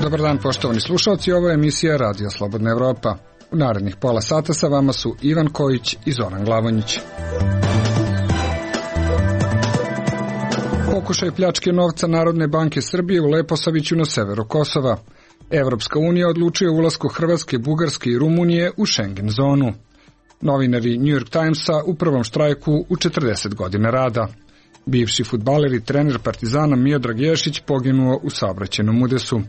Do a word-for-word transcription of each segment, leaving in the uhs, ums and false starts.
Dobar dan, poštovani slušalci, ovo je emisija Radio Slobodna Evropa. U narednih pola sata sa vama su Ivan Kojić i Zoran Glavonjić. Pokušaj pljačke novca Narodne banke Srbije u Leposaviću na severu Kosova. Evropska unija odlučuje o ulasku Hrvatske, Bugarske i Rumunije u Schengen zonu. Novinari New York Timesa u prvom štrajku u četrdeset godina rada. Bivši fudbaler i trener Partizana Miodrag Ješić poginuo u saobraćajnom udesu.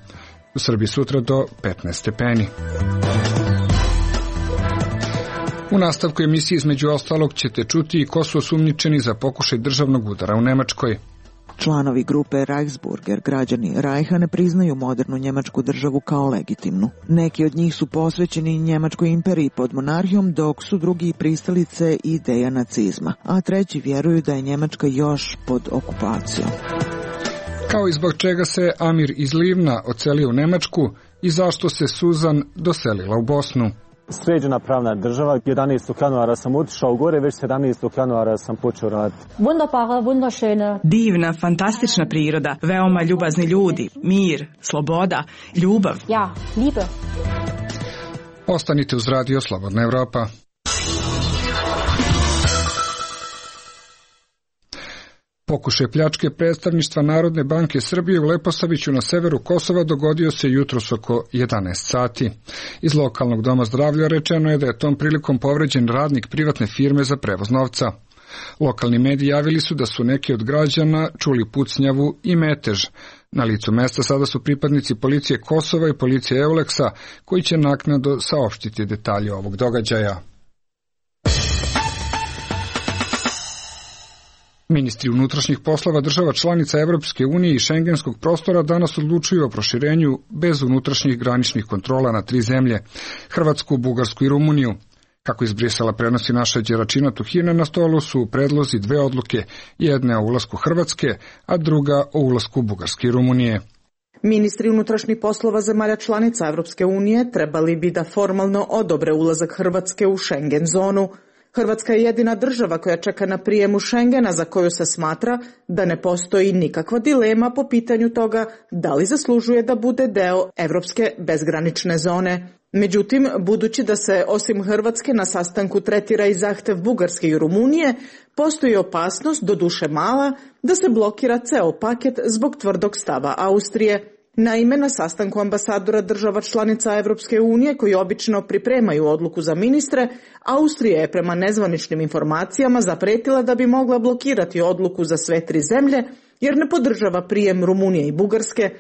U Srbiji sutra do petnaest stepeni. U nastavku emisije između ostalog ćete čuti i ko su osumnjičeni za pokušaj državnog udara u Nemačkoj. Članovi grupe Reichsburger, građani Rajha, ne priznaju modernu njemačku državu kao legitimnu. Neki od njih su posvećeni njemačkoj imperiji pod monarhijom, dok su drugi pristalice ideja nacizma, a treći vjeruju da je Njemačka još pod okupacijom. Kao i zbog čega se Amir iz Livna odselio u Nemačku i zašto se Suzan doselila u Bosnu. Sređena pravna država, jedanaestog januara sam otišao gore, već sedamnaestog januara sam počeo raditi. Wunderbare, wunderschöne. Divna, fantastična priroda, veoma ljubazni ljudi, mir, sloboda, ljubav. Ja, liebe. Ostanite uz Radio Slobodna Evropa. Pokušaj pljačke predstavništva Narodne banke Srbije u Leposaviću na severu Kosova dogodio se jutros oko jedanaest sati. Iz lokalnog doma zdravlja rečeno je da je tom prilikom povređen radnik privatne firme za prevoz novca. Lokalni mediji javili su da su neki od građana čuli pucnjavu i metež. Na licu mesta sada su pripadnici policije Kosova i policije Euleksa, koji će naknadno saopštiti detalje ovog događaja. Ministri unutrašnjih poslova država članica Evropske unije i šengenskog prostora danas odlučuju o proširenju bez unutrašnjih graničnih kontrola na tri zemlje, Hrvatsku, Bugarsku i Rumuniju. Kako iz Brisela prenosi naša Đeračina Tuhina, na stolu su predlozi dve odluke, jedna o ulasku Hrvatske, a druga o ulasku Bugarske i Rumunije. Ministri unutrašnjih poslova zemalja članica Evropske unije trebali bi da formalno odobre ulazak Hrvatske u Schengen zonu. Hrvatska je jedina država koja čeka na prijemu Schengena, za koju se smatra da ne postoji nikakva dilema po pitanju toga da li zaslužuje da bude deo Evropske bezgranične zone. Međutim, budući da se osim Hrvatske na sastanku tretira i zahtev Bugarske i Rumunije, postoji opasnost, doduše mala, da se blokira ceo paket zbog tvrdog stava Austrije. Naime, na sastanku ambasadora država članica Evropske unije, koji obično pripremaju odluku za ministre, Austrija je prema nezvaničnim informacijama zapretila da bi mogla blokirati odluku za sve tri zemlje, jer ne podržava prijem Rumunije i Bugarske.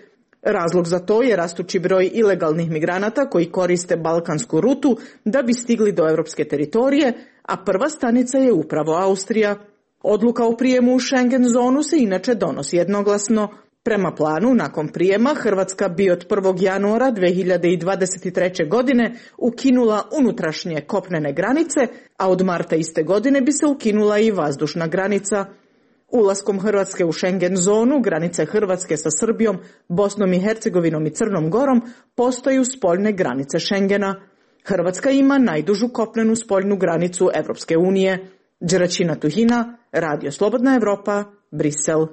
Razlog za to je rastući broj ilegalnih migranata koji koriste balkansku rutu da bi stigli do evropske teritorije, a prva stanica je upravo Austrija. Odluka o prijemu u Schengen zonu se inače donosi jednoglasno. Prema planu, nakon prijema, Hrvatska bi od prvog januara dve hiljade dvadeset treće. godine ukinula unutrašnje kopnene granice, a od marta iste godine bi se ukinula i vazdušna granica. Ulaskom Hrvatske u Schengen zonu, granice Hrvatske sa Srbijom, Bosnom i Hercegovinom i Crnom Gorom postaju spoljne granice Schengena. Hrvatska ima najdužu kopnenu spoljnu granicu Evropske unije. Đeračina Tuhina, Radio Slobodna Evropa, Brisel.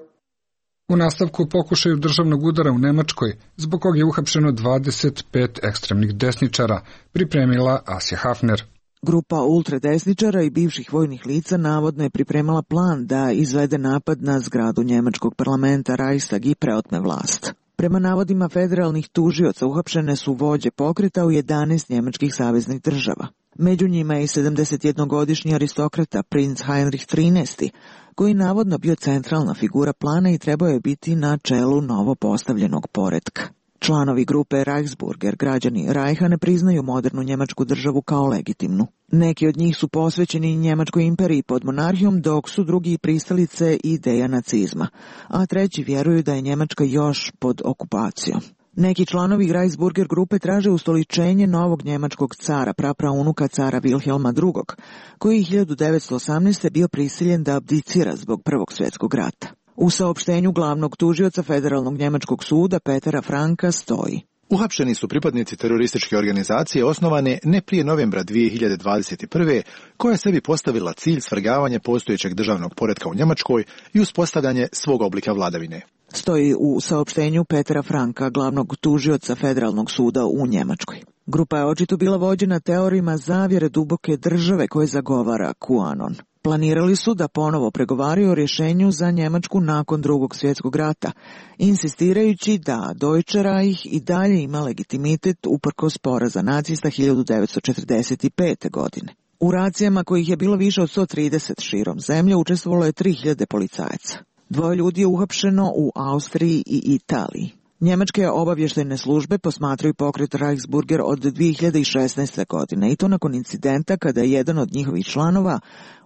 U nastavku pokušaju državnog udara u Nemačkoj, zbog kog je uhapšeno dvadeset pet ekstremnih desničara, pripremila Asja Hafner. Grupa ultradesničara i bivših vojnih lica navodno je pripremala plan da izvede napad na zgradu njemačkog parlamenta Reichstag i preotme vlast. Prema navodima federalnih tužioca uhapšene su vođe pokreta u jedanaest njemačkih saveznih država. Među njima je i sedamdesetjednogodišnji aristokrata princ Heinrich trinaesti, koji navodno bio centralna figura plana i trebao je biti na čelu novo postavljenog poretka. Članovi grupe Reichsburger, građani Rajha, ne priznaju modernu njemačku državu kao legitimnu. Neki od njih su posvećeni njemačkoj imperiji pod monarhijom, dok su drugi pristalice ideja nacizma, a treći vjeruju da je Njemačka još pod okupacijom. Neki članovi Reichsburger grupe traže ustoličenje novog njemačkog cara, prapraunuka cara Wilhelma drugog, koji je hiljadu devetsto osamnaeste. bio prisiljen da abdicira zbog Prvog svjetskog rata. U saopštenju glavnog tužioca Federalnog njemačkog suda Petera Franka stoji: Uhapšeni su pripadnici terorističke organizacije osnovane ne prije novembra dvije hiljade dvadeset prve. koja je sebi postavila cilj svrgavanje postojećeg državnog poretka u Njemačkoj i uspostavljanje svog oblika vladavine. Stoji u saopštenju Petera Franka, glavnog tužioca Federalnog suda u Njemačkoj. Grupa je očito bila vođena teorijama zavjere duboke države koje zagovara QAnon. Planirali su da ponovo pregovaraju o rješenju za Njemačku nakon drugog svjetskog rata, insistirajući da Deutsche Reich i dalje ima legitimitet uprkos poraza nacista hiljadu devetsto četrdeset pete. godine. U racijama kojih je bilo više od sto trideset širom zemlje učestvovalo je tri hiljade policajaca. Dvoje ljudi je uhapšeno u Austriji i Italiji. Njemačke obavještajne službe posmatraju pokret Reichsburger od dvije hiljade šesnaeste. godine i to nakon incidenta kada je jedan od njihovih članova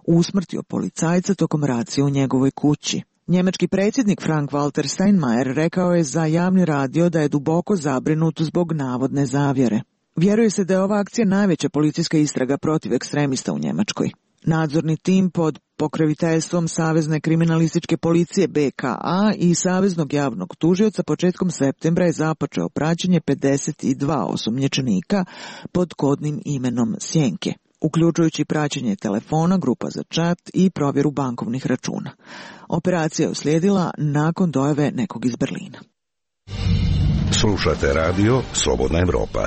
usmrtio policajca tokom racije u njegovoj kući. Njemački predsjednik Frank-Walter Steinmeier rekao je za javni radio da je duboko zabrinut zbog navodne zavjere. Vjeruje se da je ova akcija najveća policijska istraga protiv ekstremista u Njemačkoj. Nadzorni tim pod pokroviteljstvom Savezne kriminalističke policije B K A i Saveznog javnog tužioca početkom septembra je započeo praćenje pedeset dva osumnjičenika pod kodnim imenom Sjenke, uključujući praćenje telefona, grupa za čat i provjeru bankovnih računa. Operacija je uslijedila nakon dojave nekog iz Berlina. Slušate radio Slobodna Evropa.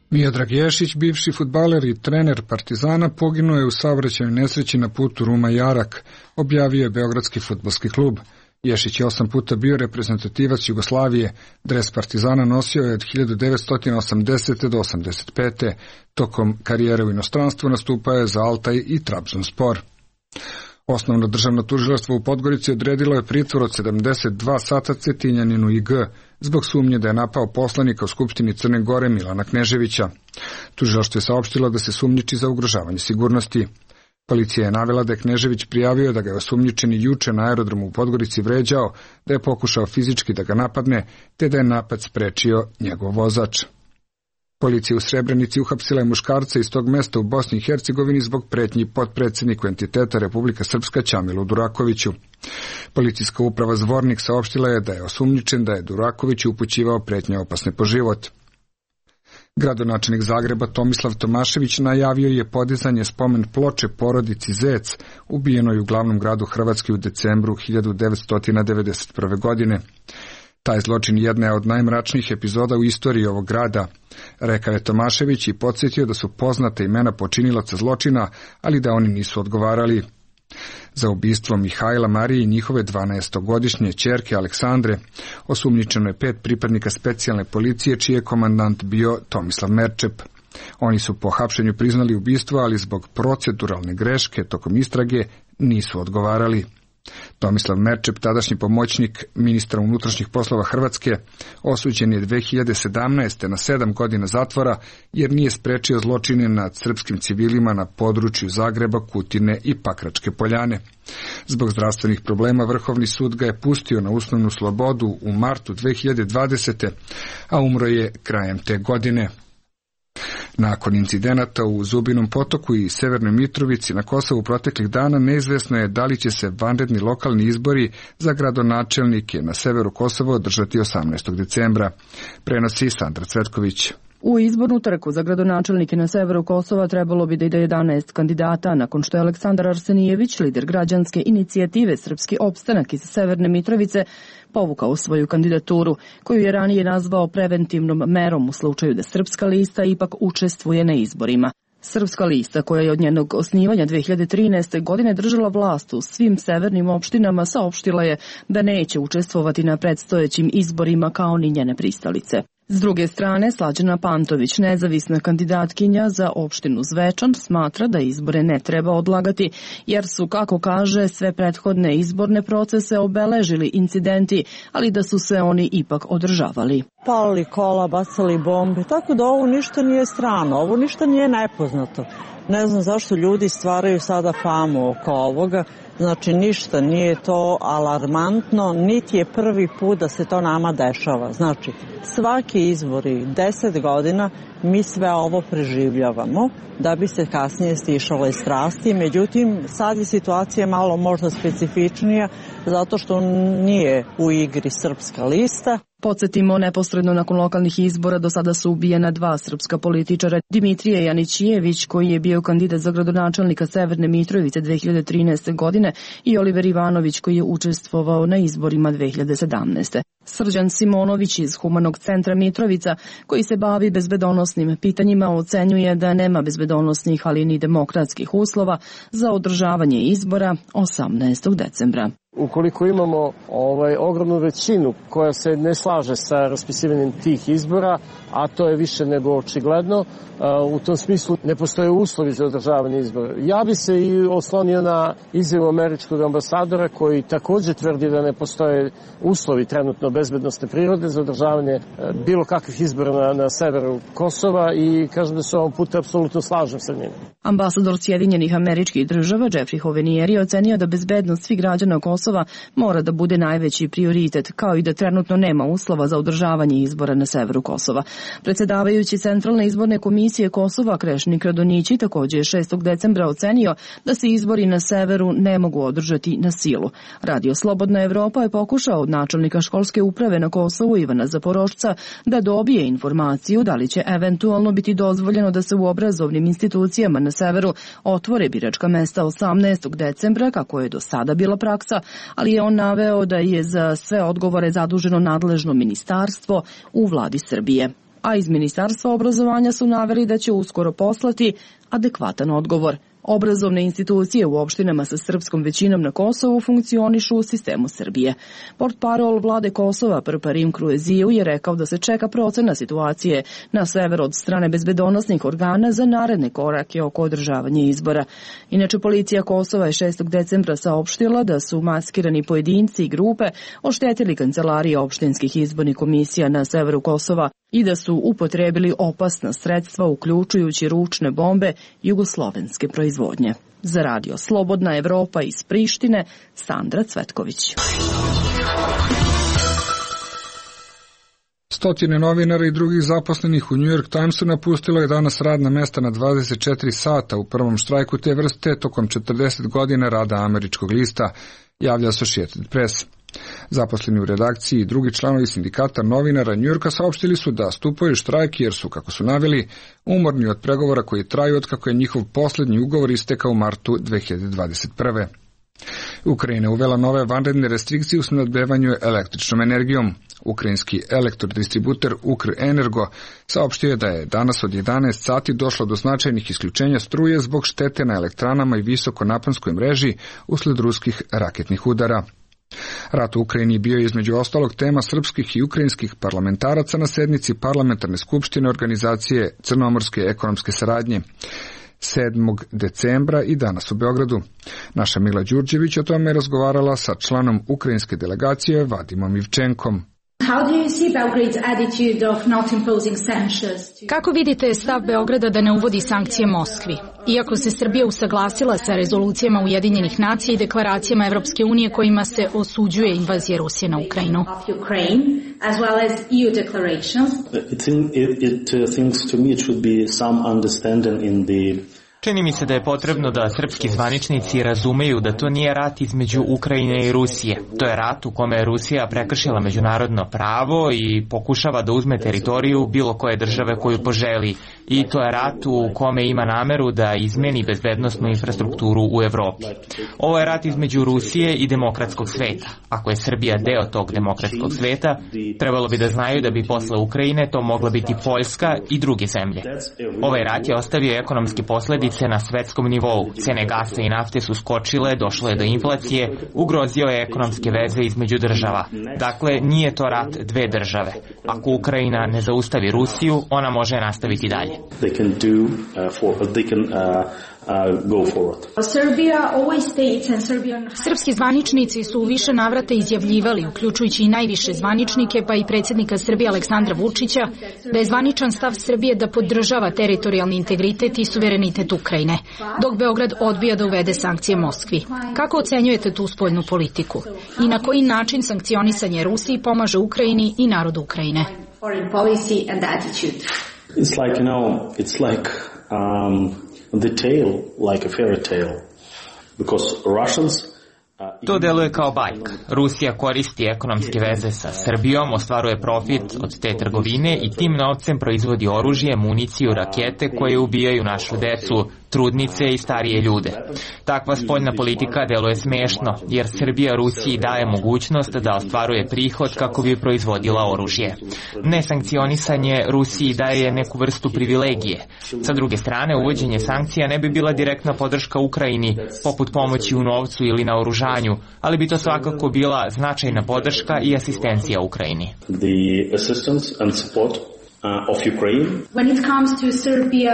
Miodrag Ješić, bivši fudbaler i trener Partizana, poginuo je u saobraćajnoj nesreći na putu Ruma-Jarak, objavio je Beogradski fudbalski klub. Ješić je osam puta bio reprezentativac Jugoslavije, dres Partizana nosio je od hiljadu devetsto osamdesete. do osamdeset pete. Tokom karijere u inostranstvu nastupao je za Altaj i Trabzonspor. Osnovno državno tužilaštvo u Podgorici odredilo je pritvor od sedamdeset dva sata Cetinjaninu I G zbog sumnje da je napao poslanika u Skupštini Crne Gore Milana Kneževića. Tužilaštvo je saopštilo da se sumnjiči za ugrožavanje sigurnosti. Policija je navela da je Knežević prijavio da ga je osumnjičeni juče na aerodromu u Podgorici vređao, da je pokušao fizički da ga napadne, te da je napad sprečio njegov vozač. Policija u Srebrenici uhapsila je muškarca iz tog mesta u Bosni i Hercegovini zbog pretnji potpredsjedniku entiteta Republika Srpska Ćamilu Durakoviću. Policijska uprava Zvornik saopštila je da je osumnjičen da je Duraković upućivao pretnje opasne po život. Gradonačelnik Zagreba Tomislav Tomašević najavio je podizanje spomen ploče porodici Zec, ubijenoj u glavnom gradu Hrvatske u decembru hiljadu devetsto devedeset prve. godine. Taj zločin jedna je od najmračnijih epizoda u istoriji ovog grada, rekao je Tomašević i podsjetio da su poznata imena počinilaca zločina, ali da oni nisu odgovarali. Za ubistvo Mihajla Marije i njihove dvanaestogodišnje ćerke Aleksandre osumnjičeno je pet pripadnika specijalne policije, čiji je komandant bio Tomislav Merčep. Oni su po hapšenju priznali ubistvo, ali zbog proceduralne greške tokom istrage nisu odgovarali. Tomislav Merčep, tadašnji pomoćnik ministra unutrašnjih poslova Hrvatske, osuđen je dve hiljade sedamnaeste. na sedam godina zatvora jer nije sprečio zločine nad srpskim civilima na području Zagreba, Kutine i Pakračke Poljane. Zbog zdravstvenih problema Vrhovni sud ga je pustio na uslovnu slobodu u martu dve hiljade dvadesete. a umro je krajem te godine. Nakon incidenata u Zubinom potoku i Severnoj Mitrovici na Kosovu proteklih dana neizvesno je da li će se vanredni lokalni izbori za gradonačelnike na severu Kosova održati osamnaestog decembra. Prenosi Sandra Cvetković. U izbornu trku za gradonačelnike na severu Kosova trebalo bi da ide jedanaest kandidata, nakon što je Aleksandar Arsenijević, lider građanske inicijative Srpski opstanak iz Severne Mitrovice, povukao svoju kandidaturu, koju je ranije nazvao preventivnom merom u slučaju da Srpska lista ipak učestvuje na izborima. Srpska lista, koja je od njenog osnivanja dve hiljade trinaeste. godine držala vlast u svim severnim opštinama, saopštila je da neće učestvovati na predstojećim izborima kao ni njene pristalice. S druge strane, Slađana Pantović, nezavisna kandidatkinja za opštinu Zvečan, smatra da izbore ne treba odlagati, jer su, kako kaže, sve prethodne izborne procese obeležili incidenti, ali da su se oni ipak održavali. Palili kola, bacali bombe, tako da ovo ništa nije strano, ovo ništa nije nepoznato. Ne znam zašto ljudi stvaraju sada famu oko ovoga, znači ništa nije to alarmantno, niti je prvi put da se to nama dešava. Znači, svaki izbori, deset godina, mi sve ovo preživljavamo, da bi se kasnije stišale strasti. Međutim, sad je situacija malo možda specifičnija, zato što nije u igri Srpska lista. Podsjetimo, neposredno nakon lokalnih izbora do sada su ubijena dva srpska političara, Dimitrije Janićijević, koji je bio kandidat za gradonačelnika Severne Mitrovice dve hiljade trinaeste. godine, i Oliver Ivanović, koji je učestvovao na izborima dve hiljade sedamnaeste. Srđan Simonović iz Humanog centra Mitrovica, koji se bavi bezbedonosnim pitanjima, ocenjuje da nema bezbedonosnih, ali ni demokratskih uslova za održavanje izbora osamnaestog decembra. Ukoliko imamo ovaj, ogromnu većinu koja se ne slaže sa raspisivanjem tih izbora, a to je više nego očigledno, u tom smislu ne postoje uslovi za održavanje izbora. Ja bi se i oslonio na izjavu američkog ambasadora koji takođe tvrdi da ne postoje uslovi trenutno bezbednosne prirode za održavanje bilo kakvih izbora na, na severu Kosova i kažem da se ovom puta apsolutno slažem sa njim. Ambasador Sjedinjenih Američkih Država Jeffrey Hovenier je ocenio da bezbednost svih građana Kosova mora da bude najveći prioritet, kao i da trenutno nema uslova za održavanje izbora na severu Kosova. Predsedavajući Centralne izborne komisije Kosova Krešnik Radonjići takođe je šestog decembra ocenio da se izbori na severu ne mogu održati na silu. Radio Slobodna Evropa je pokušao od načelnika školske uprave na Kosovu Ivana Zaporošca da dobije informaciju da li će eventualno biti dozvoljeno da se u obrazovnim institucijama na severu otvore biračka mesta osamnaestog decembra, kako je do sada bila praksa, ali je on naveo da je za sve odgovore zaduženo nadležno ministarstvo u vladi Srbije. A iz Ministarstva obrazovanja su naveli da će uskoro poslati adekvatan odgovor. Obrazovne institucije u opštinama sa srpskom većinom na Kosovu funkcionišu u sistemu Srbije. Portparol vlade Kosova Prparim Krueziju je rekao da se čeka procena situacije na severu od strane bezbedonosnih organa za naredne korake oko održavanja izbora. Inače, policija Kosova je šestog decembra saopštila da su maskirani pojedinci i grupe oštetili kancelarije opštinskih izbornih komisija na severu Kosova i da su upotrebili opasna sredstva, uključujući ručne bombe jugoslovenske proizvodnje. Za Radio Slobodna Evropa iz Prištine, Sandra Cvetković. Stotine novinara i drugih zaposlenih u New York Timesu napustilo je danas radna mesta na dvadeset četiri sata u prvom štrajku te vrste tokom četrdeset godina rada američkog lista, javlja Associated Press. Zaposleni u redakciji i drugi članovi sindikata novinara Njujorka saopštili su da stupaju štrajk jer su, kako su naveli, umorni od pregovora koji traju od kako je njihov poslednji ugovor istekao u martu dve hiljade dvadeset prve. Ukrajina uvela nove vanredne restrikcije u snabdevanju električnom energijom. Ukrajinski elektrodistributer Ukrenergo saopštio je da je danas od jedanaest sati došlo do značajnih isključenja struje zbog štete na elektranama i visokonaponskoj mreži usled ruskih raketnih udara. Rat u Ukrajini bio je između ostalog tema srpskih i ukrajinskih parlamentaraca na sednici Parlamentarne skupštine Organizacije Crnomorske ekonomske saradnje sedmog decembra i danas u Beogradu. Naša Mila Đurđević o tome je razgovarala sa članom ukrajinske delegacije Vadimom Ivčenkom. Kako vidite stav Beograda da ne uvodi sankcije Moskvi? Iako se Srbija usaglasila sa rezolucijama Ujedinjenih nacija i deklaracijama Evropske unije kojima se osuđuje invazija Rusije na Ukrajinu. Čini mi se da je potrebno da srpski zvaničnici razumeju da to nije rat između Ukrajine i Rusije. To je rat u kome je Rusija prekršila međunarodno pravo i pokušava da uzme teritoriju bilo koje države koju poželi. I to je rat u kome ima nameru da izmeni bezbednosnu infrastrukturu u Evropi. Ovo je rat između Rusije i demokratskog sveta. Ako je Srbija deo tog demokratskog sveta, trebalo bi da znaju da bi posle Ukrajine to mogla biti Poljska i druge zemlje. Ovaj rat je ostavio ekonomske posledice na svetskom nivou. Cene gasa i nafte su skočile, došlo je do inflacije, ugrozio je ekonomske veze između država. Dakle, nije to rat dve države. Ako Ukrajina ne zaustavi Rusiju, ona može nastaviti dalje. They can do uh, for they can uh, uh, go forward. Srpski zvaničnici su u više navrata izjavljivali, uključujući i najviše zvaničnike, pa i predsjednika Srbije Aleksandra Vučića, da je zvaničan stav Srbije da podržava teritorijalni integritet i suverenitet Ukrajine, dok Beograd odbija da uvede sankcije Moskvi. Kako ocenjujete tu spoljnu politiku? I na koji način sankcionisanje Rusiji pomaže Ukrajini i narodu Ukrajine? It's like, you know, it's like um, the tale, like a fairy tale, because Russians To deluje kao bajka. Rusija koristi ekonomske veze sa Srbijom, ostvaruje profit od te trgovine i tim novcem proizvodi oružje, municiju, rakete koje ubijaju našu decu, trudnice i starije ljude. Takva spoljna politika deluje smešno, jer Srbija Rusiji daje mogućnost da ostvaruje prihod kako bi proizvodila oružje. Nesankcionisanje Rusiji daje neku vrstu privilegije. Sa druge strane, uvođenje sankcija ne bi bila direktna podrška Ukrajini, poput pomoći u novcu ili na oružanju, ali bi to svakako bila značajna podrška i asistencija Ukrajini. The assistance and support of Ukraine. When it comes to Serbia,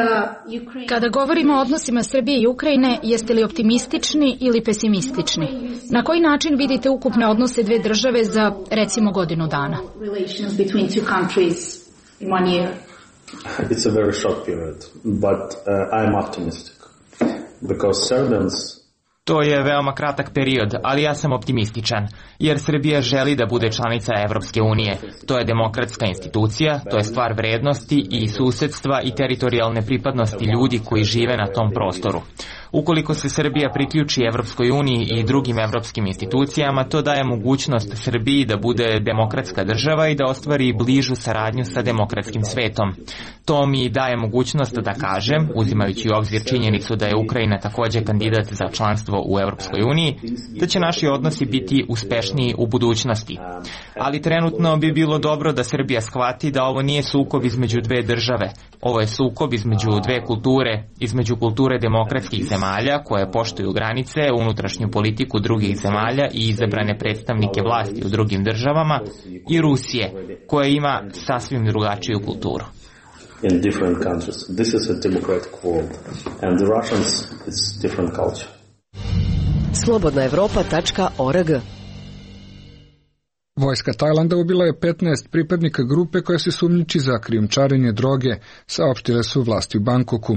Ukraine... Kada govorimo o odnosima Srbije i Ukrajine, jeste li optimistični ili pesimistični? Na koji način vidite ukupne odnose dve države za, recimo, godinu dana? Relations between two countries in one year. It's a very short period, but uh, I'm optimistic because Serbians. To je veoma kratak period, ali ja sam optimističan, jer Srbija želi da bude članica Evropske unije. To je demokratska institucija, to je stvar vrednosti i susedstva i teritorijalne pripadnosti ljudi koji žive na tom prostoru. Ukoliko se Srbija priključi Evropskoj uniji i drugim evropskim institucijama, to daje mogućnost Srbiji da bude demokratska država i da ostvari bližu saradnju sa demokratskim svetom. To mi daje mogućnost da kažem, uzimajući u obzir činjenicu da je Ukrajina takođe kandidat za članstvo u Evropskoj uniji, da će naši odnosi biti uspešniji u budućnosti. Ali trenutno bi bilo dobro da Srbija shvati da ovo nije sukob između dve države. Ovo je sukob između dve kulture, između kulture demokratskih zemalja koje poštuju granice, unutrašnju politiku drugih zemalja i izabrane predstavnike vlasti u drugim državama, i Rusije, koja ima sasvim drugačiju kulturu. In different countries. This is a democratic world and the Russians it's different culture. slobodna evropa tačka org. Vojska Tajlanda ubila je petnaest pripadnika grupe koja se sumnjiči za krijumčarenje droge, saopštile su vlasti u Bangkoku.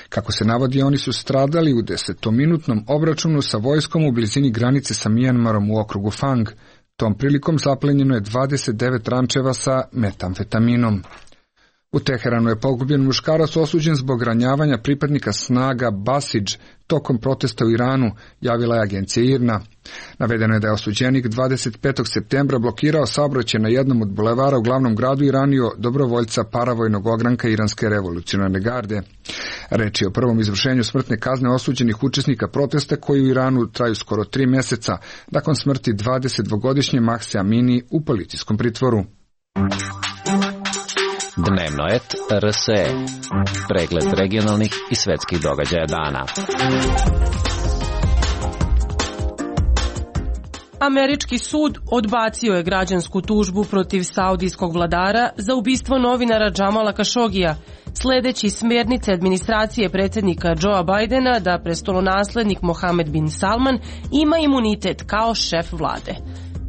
Kako se navodi, oni su stradali u desetominutnom obračunu sa vojskom u blizini granice sa Mijanmarom u okrugu Fang. Tom prilikom zaplenjeno je dvadeset devet rančeva sa metamfetaminom. U Teheranu je pogubljen muškarac osuđen zbog ranjavanja pripadnika snaga Basidž tokom protesta u Iranu, javila je agencija I R N A. Navedeno je da je osuđenik dvadeset petog septembra blokirao saobraćaj na jednom od bulevara u glavnom gradu i ranio dobrovoljca paravojnog ogranka Iranske revolucionarne garde. Reč je o prvom izvršenju smrtne kazne osuđenih učesnika protesta koji u Iranu traju skoro tri meseca, nakon smrti dvadesetdvogodišnje Mahse Amini u policijskom pritvoru. Dnevno et R S E. Pregled regionalnih i svetskih događaja dana. Američki sud odbacio je građansku tužbu protiv saudijskog vladara za ubistvo novinara Džamala Kašogija, sledeći smjernice administracije predsjednika Joea Bidena da prestolonaslednik Mohamed bin Salman ima imunitet kao šef vlade.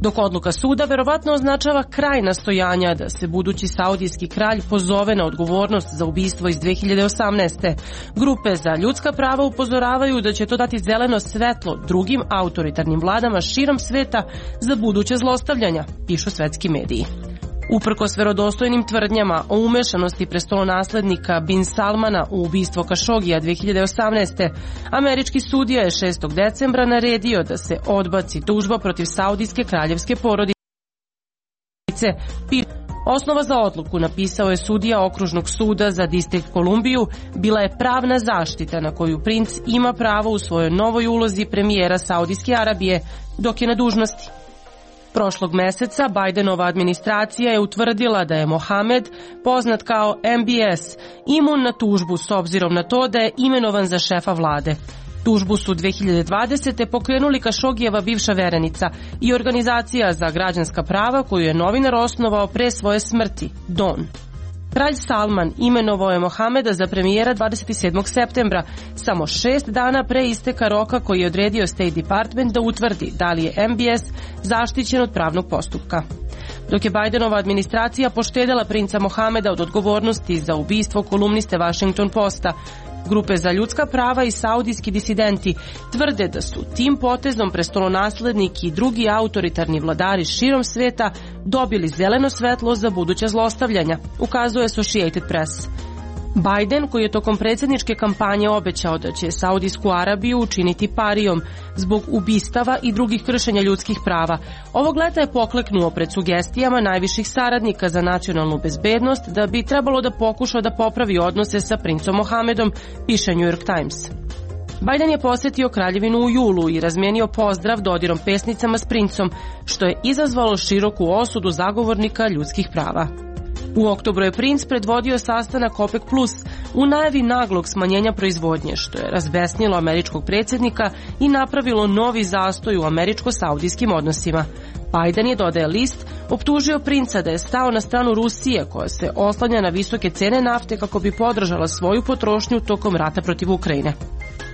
Dok odluka suda verovatno označava kraj nastojanja da se budući saudijski kralj pozove na odgovornost za ubistvo iz dve hiljade osamnaeste. Grupe za ljudska prava upozoravaju da će to dati zeleno svetlo drugim autoritarnim vladama širom sveta za buduće zlostavljanja, pišu svetski mediji. Uprkos verodostojnim tvrdnjama o umešanosti prestolonaslednika bin Salmana u ubistvo Kašogija dve hiljade osamnaeste. američki sudija je šestog decembra naredio da se odbaci tužba protiv saudijske kraljevske porodice. Osnova za odluku, napisao je sudija okružnog suda za distrikt Kolumbiju, bila je pravna zaštita na koju princ ima pravo u svojoj novoj ulozi premijera Saudijske Arabije dok je na dužnosti. Prošlog meseca Bidenova administracija je utvrdila da je Mohamed, poznat kao M B S, imun na tužbu s obzirom na to da je imenovan za šefa vlade. Tužbu su dve hiljade dvadesete pokrenuli Kašogijeva bivša verenica i organizacija za građanska prava koju je novinar osnovao pre svoje smrti, Don. Kralj Salman imenovao je Mohameda za premijera dvadeset sedmog septembra, samo šest dana pre isteka roka koji je odredio State Department da utvrdi da li je M B S zaštićen od pravnog postupka. Dok je Bidenova administracija poštedela princa Mohameda od odgovornosti za ubistvo kolumniste Washington Posta, grupe za ljudska prava i saudijski disidenti tvrde da su tim potezom prestolonaslednik i drugi autoritarni vladari širom sveta dobili zeleno svetlo za buduća zlostavljanja, ukazuje Associated Press. Biden, koji je tokom predsjedničke kampanje obećao da će Saudijsku Arabiju učiniti parijom zbog ubistava i drugih kršenja ljudskih prava, ovog leta je pokleknuo pred sugestijama najviših saradnika za nacionalnu bezbednost da bi trebalo da pokuša da popravi odnose sa princom Mohamedom, piše New York Times. Biden je posjetio kraljevinu u julu i razmijenio pozdrav dodirom pesnicama s princom, što je izazvalo široku osudu zagovornika ljudskih prava. U oktobru je princ predvodio sastanak OPEC plus u najavi naglog smanjenja proizvodnje, što je razbesnilo američkog predsjednika i napravilo novi zastoj u američko-saudijskim odnosima. Biden je, dodaje list, optužio princa da je stao na stranu Rusije, koja se oslanja na visoke cene nafte kako bi podržala svoju potrošnju tokom rata protiv Ukrajine.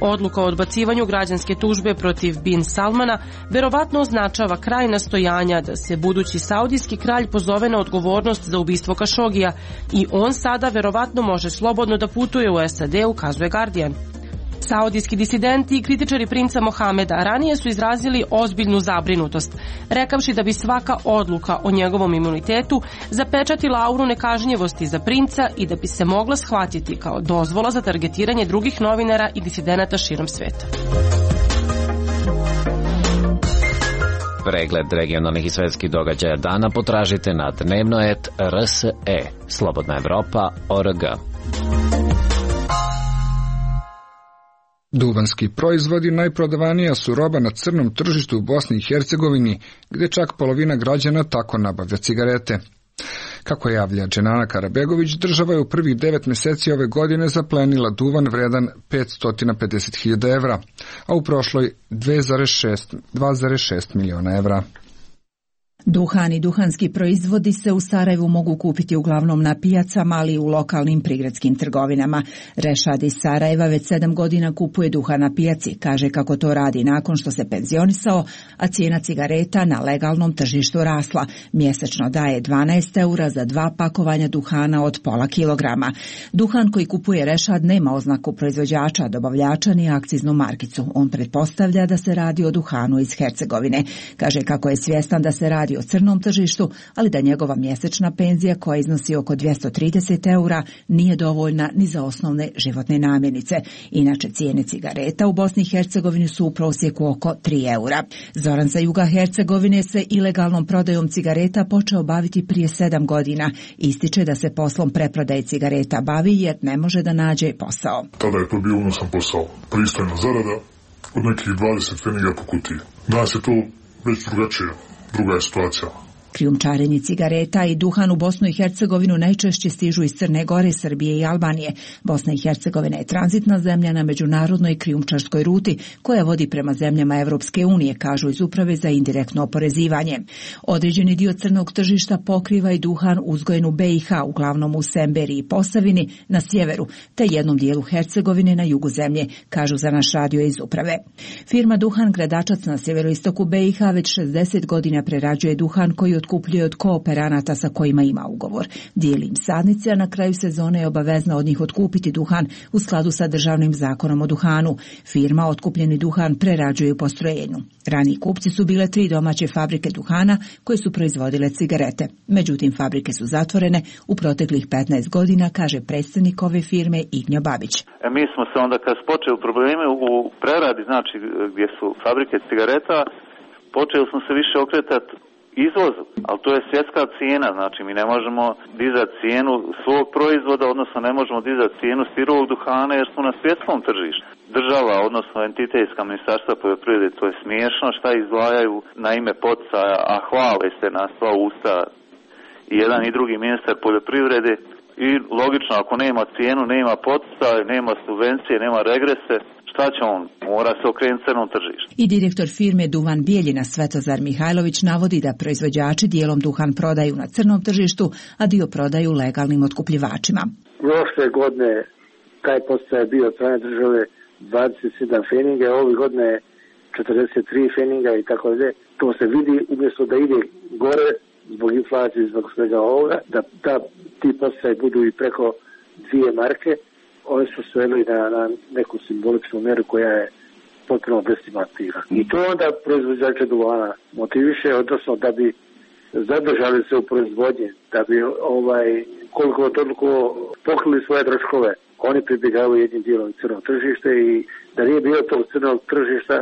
Odluka o odbacivanju građanske tužbe protiv Bin Salmana verovatno označava kraj nastojanja da se budući saudijski kralj pozove na odgovornost za ubistvo Kašogija i on sada verovatno može slobodno da putuje u S A D, ukazuje Guardian. Saudijski disidenti i kritičari princa Mohameda ranije su izrazili ozbiljnu zabrinutost, rekavši da bi svaka odluka o njegovom imunitetu zapečatila auru nekažnjivosti za princa i da bi se mogla shvatiti kao dozvola za targetiranje drugih novinara i disidenata širom sveta. Pregled regionalnih i svetskih događaja dana potražite na dnevno et R S E, Slobodna Evropa, O R G. Duvanski proizvodi najprodavanija su roba na crnom tržištu u Bosni i Hercegovini, gdje čak polovina građana tako nabavlja cigarete. Kako javlja Dženana Karabegović, država je u prvih devet mjeseci ove godine zaplenila duvan vredan petsto pedeset hiljada evra, a u prošloj dva zarez šest miliona evra. Duhan i duhanski proizvodi se u Sarajevu mogu kupiti uglavnom na pijacama, ali i u lokalnim prigradskim trgovinama. Rešad iz Sarajeva već sedam godina kupuje duhan na pijaci, kaže kako to radi nakon što se penzionisao, a cijena cigareta na legalnom tržištu rasla. Mjesečno daje dvanaest eura za dva pakovanja duhana od pola kilograma. Duhan koji kupuje Rešad nema oznaku proizvođača, dobavljača ni akciznu markicu. On pretpostavlja da se radi o duhanu iz Hercegovine. Kaže kako je svjestan da se radi o crnom tržištu, ali da njegova mjesečna penzija, koja iznosi oko dvjesto trideset eura, nije dovoljna ni za osnovne životne namirnice. Inače, cijene cigareta u Bosni i Hercegovini su u prosjeku oko tri eura. Zoran sa juga Hercegovine se ilegalnom prodajom cigareta počeo baviti prije sedam godina. Ističe da se poslom preprodaje cigareta bavi jer ne može da nađe posao. Tada je to bio unosan posao. Pristojna zarada od nekih dvadeset pfeniga po kutiji. Danas je to već drugačije. Druga je situacija. Krijumčarenje cigareta i duhan u Bosnu i Hercegovinu najčešće stižu iz Crne Gore, Srbije i Albanije. Bosna i Hercegovina je tranzitna zemlja na međunarodnoj krijumčarskoj ruti koja vodi prema zemljama Evropske unije, kažu iz Uprave za indirektno oporezivanje. Određeni dio crnog tržišta pokriva i duhan uzgojen u B i H, uglavnom u Semberi i Posavini na sjeveru, te jednom dijelu Hercegovine na jugu zemlje, kažu za naš radio iz Uprave. Firma Duhan Gradačac na sjeveroistoku B i H već šezdeset godina prerađuje duhan koji otkupljuje od kooperanata sa kojima ima ugovor. Dijeli im sadnice, a na kraju sezone je obavezna od njih otkupiti duhan u skladu sa državnim zakonom o duhanu. Firma otkupljeni duhan prerađuje u postrojenju. Raniji kupci su bile tri domaće fabrike duhana koje su proizvodile cigarete. Međutim, fabrike su zatvorene u proteklih petnaest godina, kaže predstavnik ove firme Ignjo Babić. E, mi smo se onda, kad su počeli probleme u preradi, znači gdje su fabrike cigareta, počeli smo se više okretati izvozu, ali to je svjetska cijena, znači mi ne možemo dizati cijenu svog proizvoda, odnosno ne možemo dizati cijenu sirovog duhana jer smo na svjetskom tržištu. Država, odnosno entitetska ministarstva poljoprivrede, to je smiješno šta izdvajaju na ime poticaja, a hvale se na sva usta i jedan i drugi ministar poljoprivrede. I logično, ako nema cijenu, nema poticaj, nema subvencije, nema regrese, šta će on? Mora se okrenuti crnom tržištu. I direktor firme Duvan Bijeljina Svetozar Mihajlović navodi da proizvođači dijelom duhan prodaju na crnom tržištu, a dio prodaju legalnim otkupljivačima. Prošle godine taj podsticaj je bio od strane države dvadeset sedam feninga, ove godine četrdeset tri feninga i tako dalje. To se vidi, umjesto da ide gore zbog inflacije, zbog svega ovoga, da, da ti podsticaj budu i preko dvije marke. Oni su sveli na, na neku simboličnu meru koja je potpuno destimativan. I to onda proizvođače duvana motiviše, odnosno da bi zadržali se u proizvodnji, da bi ovaj, koliko toliko pokrili svoje troškove. Oni pribjegavaju jednim dijelom crnog tržište i da nije bilo tog crnog tržišta,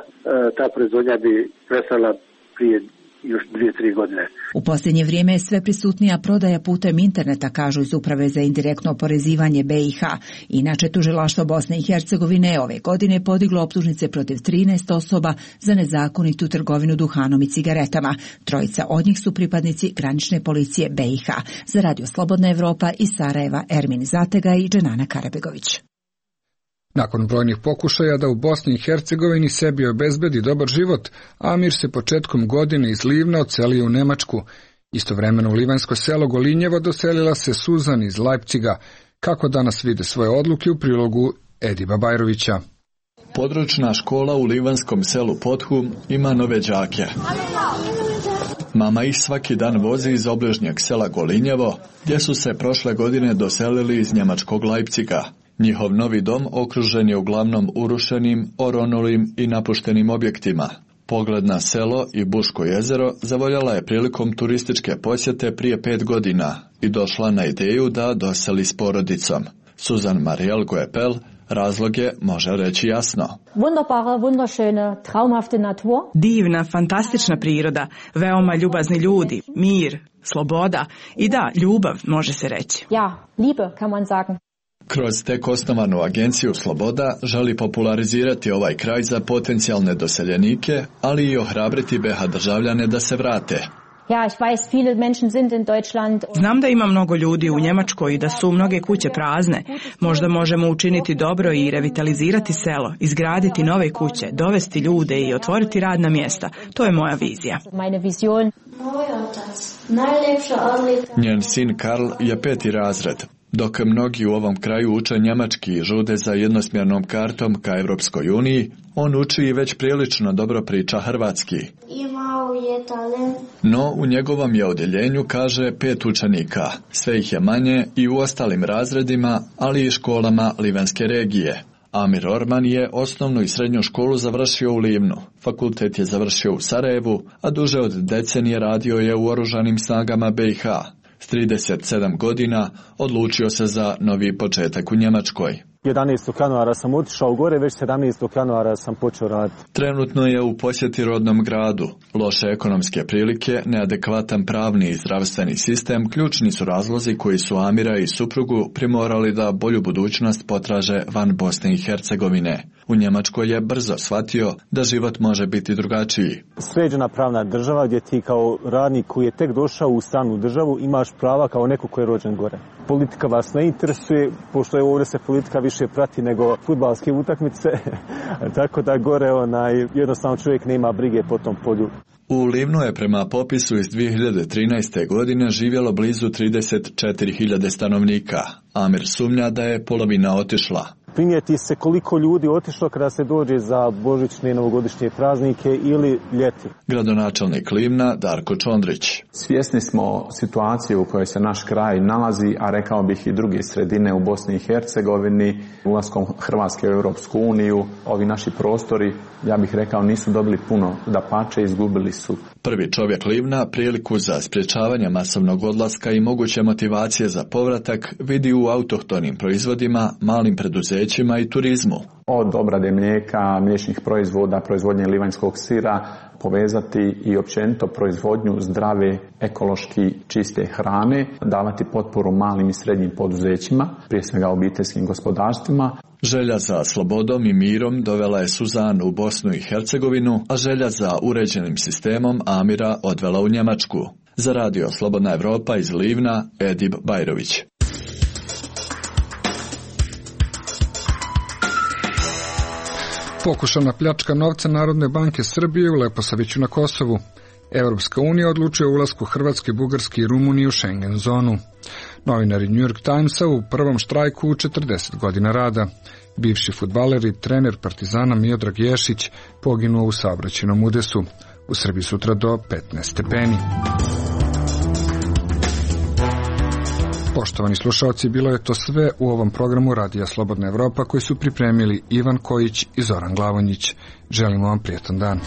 ta proizvodnja bi prestala prije još dvije, tri godine. U posljednje vrijeme je sve prisutnija prodaja putem interneta, kažu iz Uprave za indirektno oporezivanje B i H. Inače, tužilaštvo Bosne i Hercegovine ove godine podiglo optužnice protiv trinaest osoba za nezakonitu trgovinu duhanom i cigaretama. Trojica od njih su pripadnici granične policije B i H. Za Radio Slobodna Evropa iz Sarajeva Ermin Zatega i Dženana Karabegović. Nakon brojnih pokušaja da u Bosni i Hercegovini sebi obezbedi dobar život, Amir se početkom godine iz Livna odselio u Nemačku. Istovremeno u livansko selo Golinjevo doselila se Suzan iz Leipciga. Kako danas vide svoje odluke u prilogu Ediba Bajrovića. Područna škola u livanskom selu Pothu ima nove đake. Mama ih svaki dan vozi iz obližnjeg sela Golinjevo, gdje su se prošle godine doselili iz njemačkog Leipciga. Njihov novi dom okružen je uglavnom urušenim, oronulim i napuštenim objektima. Pogled na selo i Buško jezero zavoljala je prilikom turističke posjete prije pet godina i došla na ideju da doseli s porodicom. Suzan Mariel Goepel razlog je može reći jasno. Wunderbare, wunderschöne, traumhafte Natur. Divna, fantastična priroda, veoma ljubazni ljudi, mir, sloboda i da, ljubav može se reći. Ja, Liebe kann man sagen. Kroz tek osnovanu agenciju Sloboda želi popularizirati ovaj kraj za potencijalne doseljenike, ali i ohrabriti B i H državljane da se vrate. Ja, ich weiß, viele Menschen sind in Deutschland. Znam da ima mnogo ljudi u Njemačkoj i da su mnoge kuće prazne. Možda možemo učiniti dobro i revitalizirati selo, izgraditi nove kuće, dovesti ljude i otvoriti radna mjesta. To je moja vizija. Meine Vision. Njen sin Karl je peti razred. Dok mnogi u ovom kraju uče njemački i žude za jednosmjernom kartom ka Evropskoj uniji, on uči i već prilično dobro priča hrvatski. No, u njegovom je odjeljenju, kaže, pet učenika. Sve ih je manje i u ostalim razredima, ali i školama livanske regije. Amir Orman je osnovnu i srednju školu završio u Livnu. Fakultet je završio u Sarajevu, a duže od decenije radio je u oružanim snagama B i H. S trideset sedam godina odlučio se za novi početak u Njemačkoj. jedanaestog januara sam otišao gore, već sedamnaestog januara sam počeo raditi. Trenutno je u posjeti rodnom gradu. Loše ekonomske prilike, neadekvatan pravni i zdravstveni sistem ključni su razlozi koji su Amira i suprugu primorali da bolju budućnost potraže van Bosne i Hercegovine. U Njemačkoj je brzo shvatio da život može biti drugačiji. Sređena pravna država gdje ti kao radnik koji je tek došao u stranu državu imaš prava kao neko koji je rođen gore. Politika vas ne interesuje, pošto je ovdje se politika više prati nego fudbalske utakmice, tako da gore onaj, jednostavno čovjek nema brige po tom polju. U Livnu je prema popisu iz dvije hiljade trinaeste. godine živjelo blizu trideset četiri hiljade stanovnika. Amir sumnja da je polovina otišla. Primijeti se koliko ljudi otišlo kada se dođe za božićne i novogodišnje praznike ili ljeti. Gradonačelnik Livna Darko Čondrić. Svjesni smo situacije u kojoj se naš kraj nalazi, a rekao bih i druge sredine u Bosni i Hercegovini, ulaskom Hrvatske u Europsku uniju. Ovi naši prostori, ja bih rekao, nisu dobili puno, dapače izgubili su. Prvi čovjek Livna priliku za sprječavanje masovnog odlaska i moguće motivacije za povratak vidi u autohtonim proizvodima, malim preduzećima i turizmu. Od obrade mlijeka, mliječnih proizvoda, proizvodnje livanjskog sira, povezati i općenito proizvodnju zdrave, ekološki čiste hrane, davati potporu malim i srednjim poduzećima, prije svega obiteljskim gospodarstvima. Želja za slobodom i mirom dovela je Suzan u Bosnu i Hercegovinu, a želja za uređenim sistemom Amira odvela u Njemačku. Za Radio Slobodna Evropa iz Livna, Edib Bajrović. Pokušana pljačka novca Narodne banke Srbije u Leposaviću na Kosovu. Evropska unija odlučuje o ulasku Hrvatske, Bugarske i Rumunije u Schengen zonu. Novinari New York Timesa u prvom štrajku u četrdeset godina rada. Bivši fudbaler i trener Partizana Miodrag Ješić poginuo u saobraćajnom udesu. U Srbiji sutra do petnaest stepeni. Poštovani slušalci, bilo je to sve u ovom programu Radija Slobodna Evropa koji su pripremili Ivan Kojić i Zoran Glavonjić. Želimo vam prijetan dan.